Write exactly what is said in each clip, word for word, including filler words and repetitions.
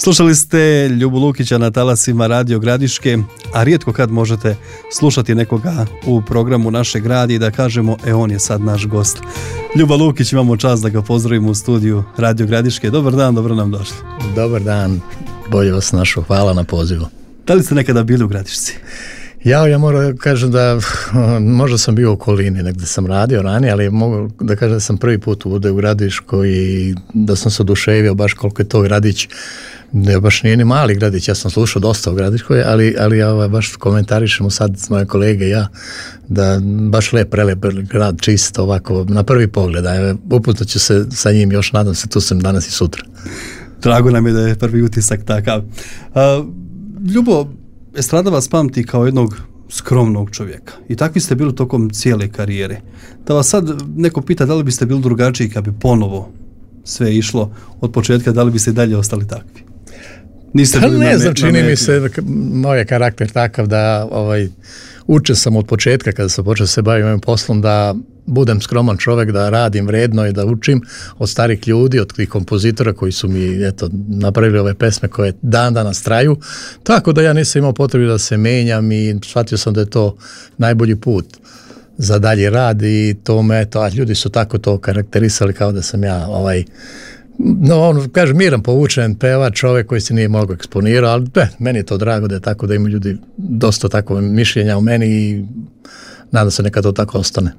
Slušali ste Ljubu Lukića na talasima Radio Gradiške, a rijetko kad možete slušati nekoga u programu Našeg radija i da kažemo, e on je sad naš gost. Ljuba Lukić, imamo čast da ga pozdravimo u studiju Radio Gradiške. Dobar dan, dobro nam došli. Dobar dan, bolje vas našao, hvala na pozivu. Da li ste nekada bili u Gradišci? Ja, ja moram kažem da možda sam bio u okolini, negdje sam radio ranije, ali mogu da kažem da sam prvi put u Gradišku i da sam se oduševio baš koliko je to gradić. Ne, baš nije ni mali gradić, ja sam slušao dosta u Gradiškoj, ali, ali ja baš komentarišemo sad s moje kolege ja, da baš lep, prelep grad, čisto ovako, na prvi pogled, a upoznat ću se sa njim još, nadam se, tu sam danas i sutra. Drago nam je da je prvi utisak takav. A, Ljubo, estrada vas pamti kao jednog skromnog čovjeka i takvi ste bili tokom cijele karijere. Da vas sad neko pita da li biste bili drugačiji kad bi ponovo sve išlo od početka, da li biste dalje ostali takvi? Niste pa bili ne na, znam, čini na mi se, moj je karakter takav da ovaj, učen sam od početka kada sam počeo se baviti ovim poslom da budem skroman čovjek, da radim vredno i da učim od starih ljudi, od tih kompozitora koji su mi eto, napravili ove pesme koje dan danas traju, tako da ja nisam imao potrebu da se menjam i shvatio sam da je to najbolji put za dalje rad i to me, eto, a ljudi su tako to karakterisali kao da sam ja ovaj, no, on kaže miran, povučen pevač, čovjek koji se nije mnogo eksponirao, ali be, meni je to drago da je tako, da imaju ljudi dosta takve mišljenja u meni i nadam se neka to tako ostane.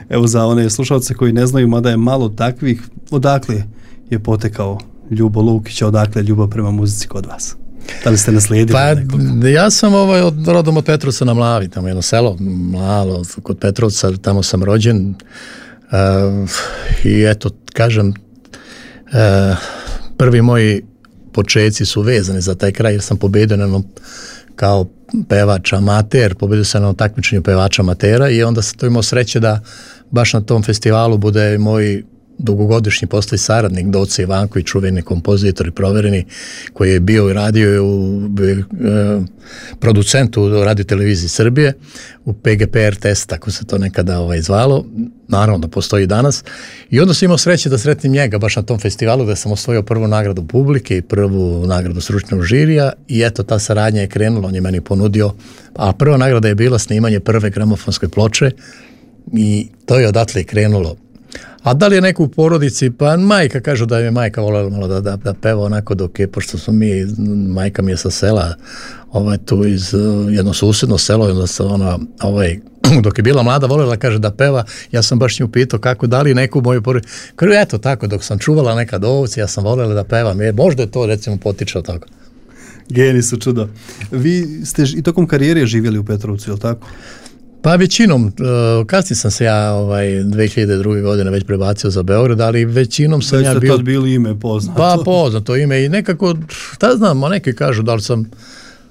Evo za one slušalce koji ne znaju, mada je malo takvih, odakle je potekao Ljubo Lukić, odakle ljubav prema muzici kod vas? Da li ste naslijedili pa, nekoga? Ja sam ovaj, od, rodom od Petrovca na Mlavi, tamo jedno selo, malo, kod Petrovca, tamo sam rođen uh, i eto, kažem, uh, prvi moji počeci su vezani za taj kraj jer sam pobedio na jednom kao pevač amater, pobedio sam na takmičenju pevača amatera i onda sam to imao sreće da baš na tom festivalu bude moj dugogodišnji poslije saradnik Doce Ivanković, čuveni kompozitor i provereni, koji je bio i radio u e, producentu u Radio Televiziji Srbije, u P G P R T S, tako se to nekada ovaj, zvalo, naravno da postoji i danas. I onda sam imao sreće da sretnim njega baš na tom festivalu gdje sam osvojio prvu nagradu publike i prvu nagradu stručnog žirija i eto ta saradnja je krenula, on je meni ponudio, a prva nagrada je bila snimanje prve gramofonske ploče i to je odatle krenulo. A da li je neko u porodici, pa majka, kažu da je majka voljela malo da, da, da peva onako dok je, pošto smo mi, majka mi je sa sela, ovaj, tu iz jedno susjedno selo, onda se ona, ovaj, dok je bila mlada, voljela, kaže da peva, ja sam baš nju pitao kako, da li neku moju porodicu, kažu, eto tako, dok sam čuvala nekad ovce, ja sam voljela da pevam, jer možda je to recimo potičao tako. Geni su čudo. Vi ste i tokom karijere živjeli u Petrovcu, je li tako? Pa većinom, kasnije sam se ja ovaj, dvije hiljade druge. godine već prebacio za Beograd, ali većinom sam već ja bio... Već ste tad bili ime poznato. Pa poznato ime i nekako, šta znam, neki kažu da li sam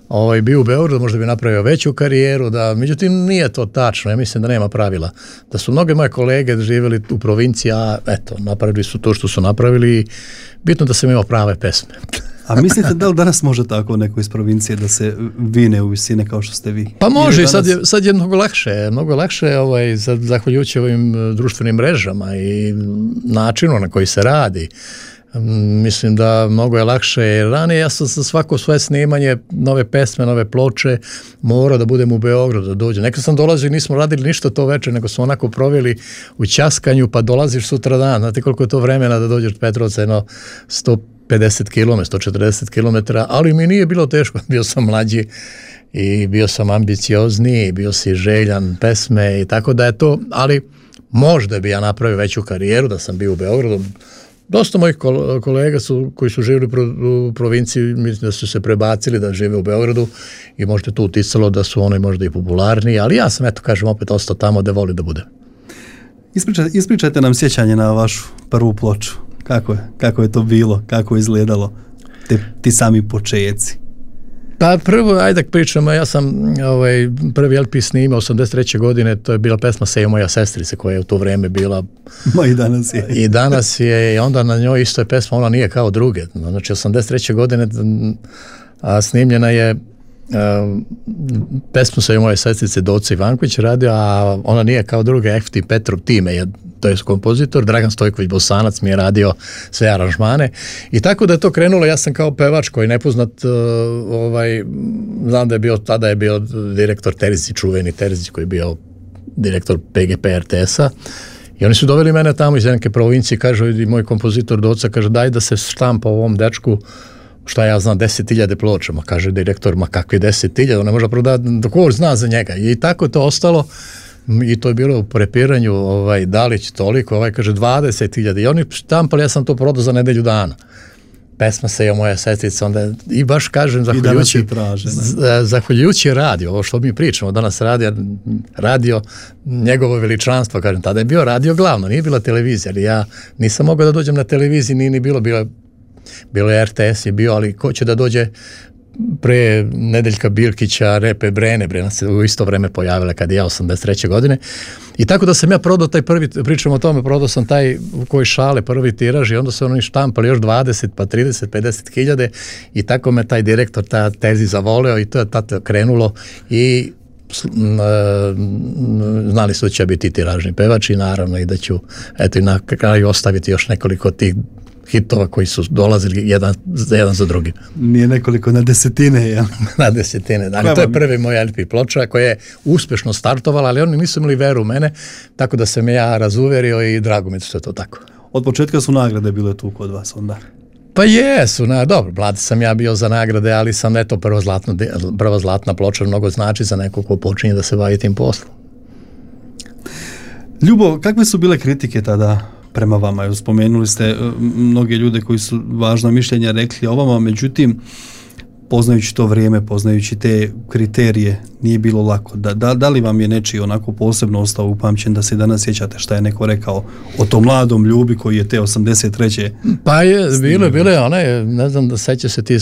ovaj, bio u Beogradu, možda bi napravio veću karijeru, da, međutim nije to tačno, ja mislim da nema pravila. Da su mnoge moje kolege živjeli u provinciji, a eto, napravili su to što su napravili i bitno da sam imao prave pesme. A mislite da li danas može tako neko iz provincije da se vine u visine kao što ste vi? Pa može, danas... sad, je, sad je mnogo lakše, mnogo lakše ovaj, zahvaljujući ovim društvenim mrežama i načinu na koji se radi. Mislim da mnogo je lakše, jer ranije ja sam za svako svoje snimanje, nove pesme, nove ploče, morao da budem u Beogradu, da dođem. Nekad sam dolazio i nismo radili ništa to večer, nego smo onako proveli u ćaskanju, pa dolaziš sutra dan. Znate koliko je to vremena da dođeš od Petrovca, jedno sto pedeset kilometara, sto četrdeset kilometara, ali mi nije bilo teško, bio sam mlađi i bio sam ambiciozniji, bio si željan pesme i tako da je to, ali možda bi ja napravio veću karijeru da sam bio u Beogradu. Dosta mojih kolega su, koji su živjeli u provinciji, mislim da su se prebacili da žive u Beogradu i možda je to uticalo da su oni možda i popularniji, ali ja sam, eto kažem, opet ostao tamo da voli da bude. Ispričajte, ispričajte nam sjećanje na vašu prvu ploču. Kako je, kako je to bilo, kako je izgledalo, te, ti sami počeci? Pa prvo, ajde da pričamo, ja sam ovaj, prvi L P snimao osamdeset treće. godine, to je bila pesma Sejo moja sestrice, koja je u to vrijeme bila... Ma i danas je. I danas je, i onda na njoj isto je pesma, ona nije kao druge. Znači, osamdeset treće. godine a, snimljena je a, pesmu Sejo moje sestrice Doce Ivanković radio, a ona nije kao druge, F T Petrov time je to je kompozitor, Dragan Stojković Bosanac mi je radio sve aranžmane i tako da je to krenulo, ja sam kao pevač koji nepoznat, uh, ovaj, znam da je bio, tada je bio direktor Terzić, čuveni Terzić koji je bio direktor P G P R T S-a i oni su doveli mene tamo iz neke provincije, kaže i moj kompozitor Doca, kaže daj da se štampa ovom dečku, šta ja znam, deset hiljada ploča, ma kaže direktor, ma kakvi deset hiljada, on ne može prodati, dok zna za njega. I tako je to ostalo i to je bilo u prepiranju, ovaj, Dalić toliko, ovaj kaže dvadeset hiljada i oni štampali, ja sam to prodao za nedelju dana. Pesma se je moja sestrica, onda i baš kažem, zahvaljujući, traže, zahvaljujući radio, ovo što mi pričamo, danas radio, radio njegovo veličanstvo, kažem, tada je bio radio glavno, nije bila televizija, ali ja nisam mogao da dođem na televiziji, nije ni bilo, bilo, bilo je R T S je bio, ali ko će da dođe pre Nedeljka Bilkića, Repe Brene, Brena se u isto vreme pojavila kad je ja osamdeset treće godine. I tako da sam ja prodao taj prvi, pričam o tome, prodao sam taj u koji šale prvi tiraž i onda su oni štampali još dvadeset, pa trideset, pedeset hiljade i tako me taj direktor, ta Terzi zavoleo i to je tada krenulo i znali su da će biti tiražni pevač i naravno i da ću eto i na kraju ostaviti još nekoliko tih hitova koji su dolazili jedan za jedan za drugim. Nije nekoliko, na desetine, ja. Na desetine, da. To je prvi moj L P ploča koja je uspešno startovala, ali oni nisu imali veru u mene, tako da sam ja razuverio i drago mi što je to tako. Od početka su nagrade bile tu kod vas onda? Pa jesu, na, dobro, mlad sam ja bio za nagrade, ali sam eto prva zlatna, prva zlatna ploča mnogo znači za neko ko počinje da se bavi tim poslom. Ljubo, kakve su bile kritike tada prema vama? Spomenuli ste mnoge ljude koji su važna mišljenja rekli o vama, međutim, poznajući to vrijeme, poznajući te kriterije, nije bilo lako. Da, da, da li vam je nečiji onako posebno ostao upamćen da se danas sjećate šta je neko rekao o tom mladom Ljubi koji je te osamdeset treće Pa je, bilo, bilo je onaj, ne znam da seća se ti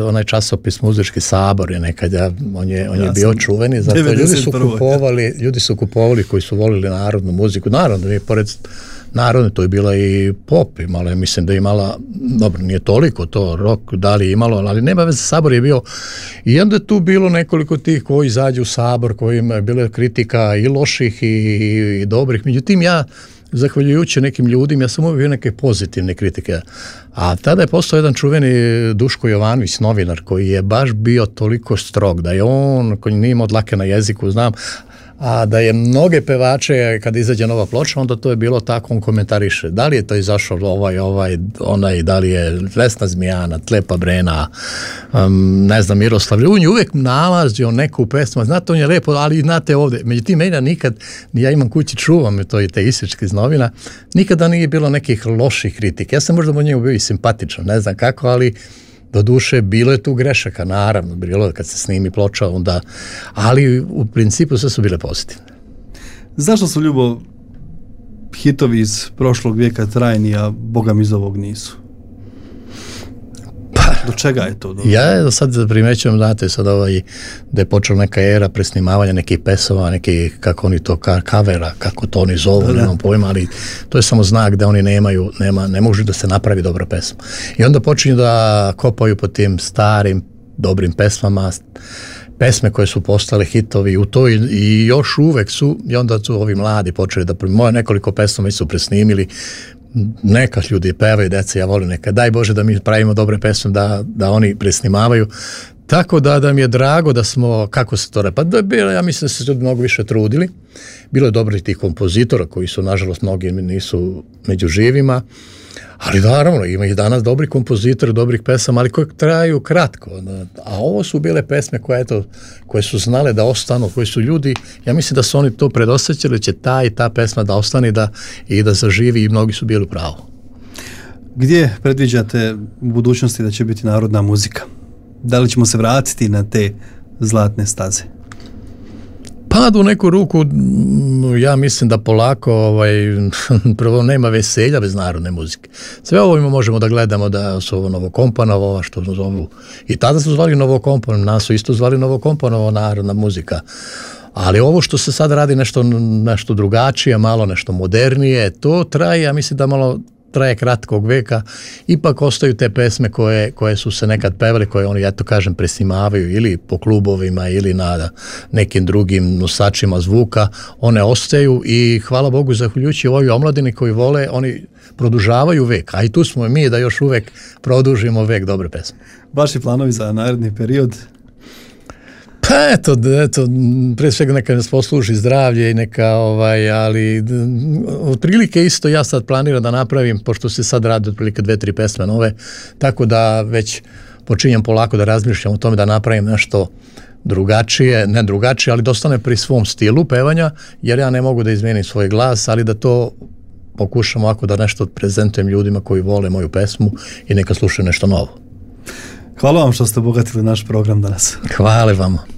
onaj časopis Muzički sabor je nekad, ja, on je, on je ja bio čuveni, zato ljudi su kupovali, ljudi su kupovali koji su volili narodnu muziku, naravno mi pored narodne, to je bila i pop imala, mislim da je imala, dobro, nije toliko to, rock, da li je imalo, ali nema veze, sabor je bio, i onda je tu bilo nekoliko tih koji izađu u sabor, kojima je bila kritika i loših i, i, i dobrih, međutim ja, zahvaljujući nekim ljudima, ja sam uvijek bio neke pozitivne kritike, a tada je postao jedan čuveni Duško Jovanović, novinar, koji je baš bio toliko strog, da je on, koji nije imao dlake na jeziku, znam, a da je mnoge pevače kada izađe nova ploča, onda to je bilo tako, on komentariše da li je to izašao ovaj, ovaj, onaj, da li je Vesna Zmijana, Tlepa Brena, um, ne znam, Miroslav Ljunj, uvijek nalazio neku pesmu, znate, on je lepo, ali znate ovdje, međutim, meni nikad, ja imam kući, čuvam to i te isječke iz novina, nikada nije bilo nekih loših kritika, ja sam možda u njemu bio i simpatičan, ne znam kako, ali do duše, bilo je tu grešaka, naravno, bilo je kad se snimi ploča, onda, ali u principu sve su bile pozitivne. Zašto su, Ljubo, hitovi iz prošlog vijeka trajni, a Boga mi iz ovog nisu? Pa, do čega je to? Do... Ja sad primećujem, znate, sad ovaj, da je počela neka era presnimavanja nekih pesama, nekih, kako oni to, kavera, kako to oni zovu, nemam pojma, ali to je samo znak da oni nemaju, nema, ne može da se napravi dobra pesma. I onda počinju da kopaju po tim starim, dobrim pesmama, pesme koje su postale hitovi u to i, i još uvek su, i onda su ovi mladi počeli da, moje nekoliko pesama su presnimili, neka ljudi pevaju, deca, ja volim neka, daj Bože da mi pravimo dobre pesme, da, da oni presnimavaju, tako da, da mi je drago da smo, kako se to re, pa da je bilo, ja mislim da se ljudi mnogo više trudili, bilo je dobrih tih kompozitora koji su, nažalost, mnogi nisu među živima, ali naravno, ima i danas dobri kompozitori, dobrih pesama, ali koje traju kratko. A ovo su bile pesme koje, eto, koje su znale da ostanu, koje su ljudi, ja mislim da su oni to predosjećali, će ta i ta pesma da ostane da, i da zaživi i mnogi su bili u pravu. Gdje predviđate u budućnosti da će biti narodna muzika? Da li ćemo se vratiti na te zlatne staze? Pa u neku ruku, ja mislim da polako, ovaj, prvo nema veselja bez narodne muzike. Sve ovo možemo da gledamo da su ovo Novokompanova, ova što zovu, i tada su zvali Novokompanova, nas su isto zvali Novokompanova narodna muzika. Ali ovo što se sad radi nešto, nešto drugačije, malo nešto modernije, to traje, ja mislim da malo traje kratkog veka, ipak ostaju te pesme koje, koje su se nekad pevali, koje oni, eto kažem, presnimavaju ili po klubovima ili na nekim drugim nosačima zvuka, one ostaju i hvala Bogu, zahvaljujući ovoj omladini koji vole, oni produžavaju vek, a i tu smo mi da još uvek produžimo vek dobre pesme. Vaši planovi za naredni period? Pa eto, eto, pre svega neka nas posluži zdravlje i neka, ovaj, ali otprilike isto ja sad planiram da napravim, pošto se sad radi otprilike dve, tri pesme nove, tako da već počinjem polako da razmišljam o tome da napravim nešto drugačije, ne drugačije, ali da ostane pri svom stilu pevanja, jer ja ne mogu da izmenim svoj glas, ali da to pokušam ovako da nešto prezentujem ljudima koji vole moju pesmu i neka slušaju nešto novo. Hvala vam što ste obogatili naš program danas. Hvala vam.